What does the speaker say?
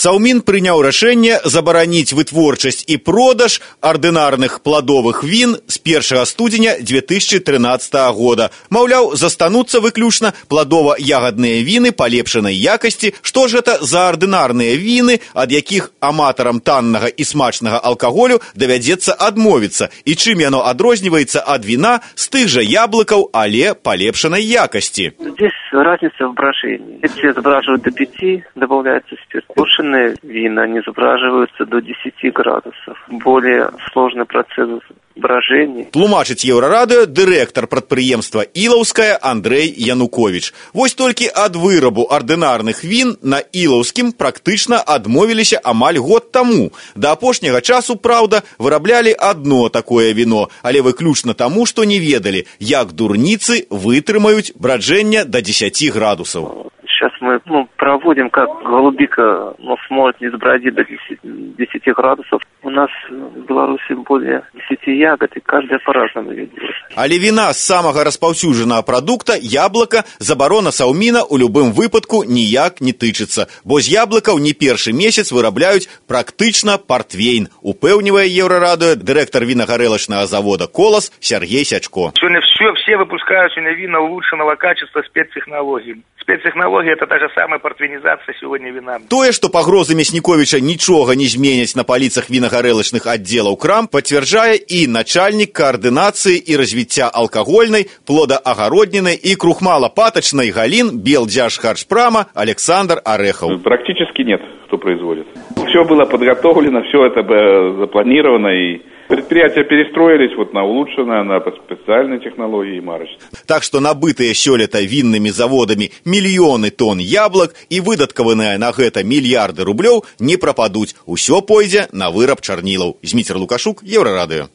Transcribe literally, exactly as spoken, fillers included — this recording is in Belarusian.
Саўмін прыняў рашэнне забараніць вытворчасць і продаж ардынарных пладовых він з першага студзеня две тысячи тринадцатого года. Маўляў, застануцца выключна пладова-ягадныя віны палепшанай якасці. Што ж гэта за ардынарныя віны, ад якіх аматарам таннага і смачнага алкаголю давядзецца адмовіцца, і чым яно адрозніваецца ад віна з тых жа яблыкаў, але палепшанай якасці? Здесь разница в брожении. Эти забраживают до пяти, добавляется спирт. Пушеные вина, они забраживаются до десяти градусов. Более сложный процесс брожения. Тлумачыць Еўрарадыё дырэктар прадпрыемства Ілаўскае Андрэй Януковіч. Вось толькі ад вырабу ардынарных він на Ілаўскім практычна адмовіліся амаль год таму. Да апошняга часу, праўда, выраблялі адно такое віно, але выключна таму, што не ведалі, як дурніцы вытрымаюць браджэнне до десяти градусов. Сейчас мы ну, проводим, как голубика ну, сможет не сбродить до десяти градусов. У нас в Беларуси более десяти ягод, и каждая по-разному ее делает. Але віна з самага распаўсюджанага прадукта, яблыка, забарона Саўміна ў любым выпадку ніяк не тычыцца, бо з яблыкаў не першы месяц вырабляюць практычна партвейн, упэўнівае Еўрарадыё дырэктар вінагарэлачнага завода «Колас» Сергей Сячко. Сегодня все, все выпускают сегодня вина улучшенного качества спецтехнологий. Спецтехнология – это та же самая партвейнизация сегодня вина. Тое, што пагрозы Мясніковіча нічога не зменяць на паліцах вінагарэлачных аддзелаў крам, пацвярджае і начальнік каардынацыі і развіцця алкагольнай, плодаагароднінай і крухмала-патачнай галін Белдзяжхарчпрама Александр Орехов. Практически нет, кто производит. Все было подготовлено, все это запланировано, и предприятия перестроились вот на улучшенное, на специальные технологии и марочные. Так что набытыя сёлета віннымі заводамі мільёны тонн яблок і выдаткаваныя на гэта мільярды рублёў не прападуць. Усё пойдзе на выраб чарнілаў. Зміцер Лукашук, Еўрарадыё.